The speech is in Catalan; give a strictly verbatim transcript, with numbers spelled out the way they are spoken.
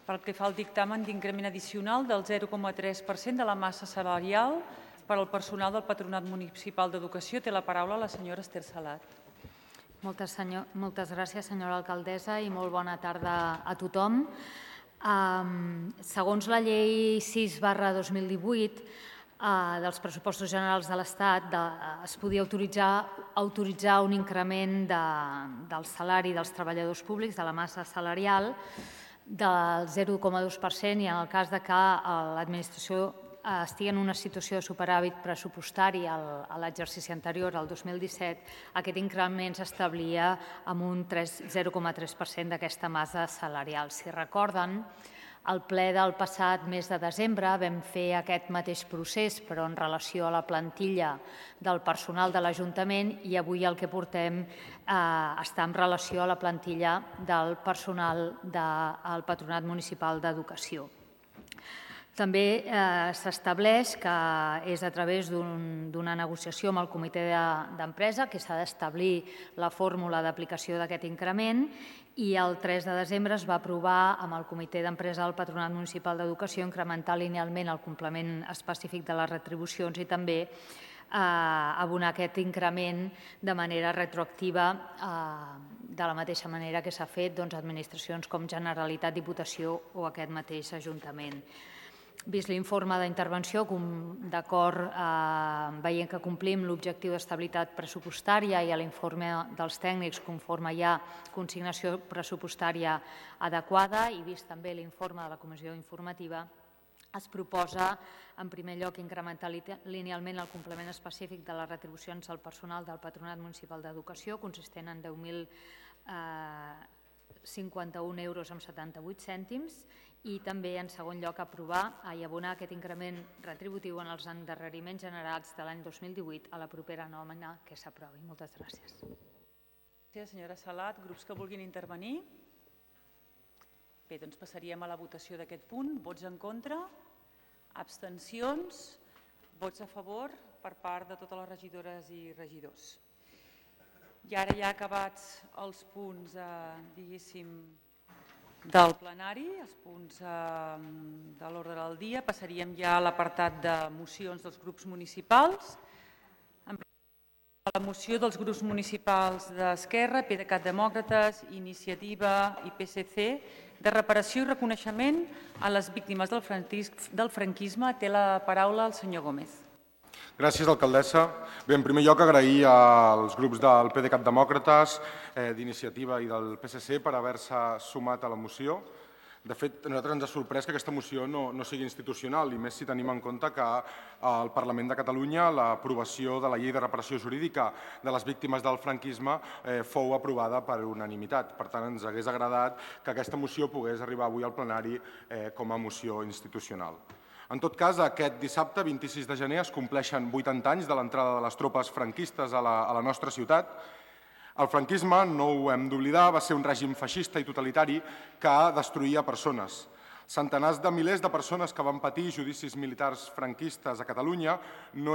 pel que fa al dictamen d'increment addicional del zero coma tres per cent de la massa salarial per al personal del Patronat Municipal d'Educació. Té la paraula la senyora Esther Salat. Moltes, senyor, moltes gràcies, senyora alcaldessa, i molt bona tarda a tothom. Um, segons la llei sis barra dos mil divuit uh, dels pressupostos generals de l'Estat, de, uh, es podia autoritzar, autoritzar un increment de, del salari dels treballadors públics, de la massa salarial, del zero coma dos per cent, i en el cas de que l'administració estigui en una situació de superàvit pressupostari a l'exercici anterior, al dos mil disset, aquest increment s'establia amb un zero coma tres per cent d'aquesta massa salarial. Si recorden, al ple del passat mes de desembre vam fer aquest mateix procés, però en relació a la plantilla del personal de l'Ajuntament, i avui el que portem està en relació a la plantilla del personal del Patronat Municipal d'Educació. També s'estableix que és a través d'una negociació amb el comitè d'empresa que s'ha d'establir la fórmula d'aplicació d'aquest increment, i el tres de desembre es va aprovar amb el comitè d'empresa del Patronat Municipal d'Educació incrementar linealment el complement específic de les retribucions i també abonar aquest increment de manera retroactiva, de la mateixa manera que s'ha fet administracions com Generalitat, Diputació o aquest mateix Ajuntament. Vist l'informe d'intervenció, d'acord, veient que complim l'objectiu d'estabilitat pressupostària i a l'informe dels tècnics conforme hi ha consignació pressupostària adequada, i vist també l'informe de la comissió informativa, es proposa, en primer lloc, incrementar linealment el complement específic de les retribucions al personal del Patronat Municipal d'Educació, consistent en deu mil cinquanta-un euros amb setanta-vuit cèntims, i també, en segon lloc, aprovar i abonar aquest increment retributiu en els endarreriments generats de l'any dos mil divuit a la propera nòmina que s'aprovi. Moltes gràcies. Gràcies, senyora Salat. Grups que vulguin intervenir? Bé, doncs passaríem a la votació d'aquest punt. Vots en contra? Abstencions? Vots a favor per part de totes les regidores i regidors. I ara ja acabats els punts, diguéssim, del plenari, els punts de l'ordre del dia, passaríem ja a l'apartat de mocions dels grups municipals. La moció dels grups municipals d'Esquerra, PDeCAT Demòcrates, Iniciativa i P S C de reparació i reconeixement a les víctimes del franquisme. Té la paraula el senyor Gómez. Gràcies, alcaldessa. Bé, en primer lloc, agrair als grups del PDeCAT Demòcrates, d'Iniciativa i del P S C per haver-se sumat a la moció. De fet, a nosaltres ens ha sorprès que aquesta moció no sigui institucional, i més si tenim en compte que al Parlament de Catalunya l'aprovació de la llei de reparació jurídica de les víctimes del franquisme fou aprovada per unanimitat. Per tant, ens hagués agradat que aquesta moció pogués arribar avui al plenari com a moció institucional. En tot cas, aquest dissabte, vint-i-sis de gener, es compleixen vuitanta anys de l'entrada de les tropes franquistes a la nostra ciutat. El franquisme, no ho hem d'oblidar, va ser un règim feixista i totalitari que destruïa persones. Centenars de milers de persones que van patir judicis militars franquistes a Catalunya no eren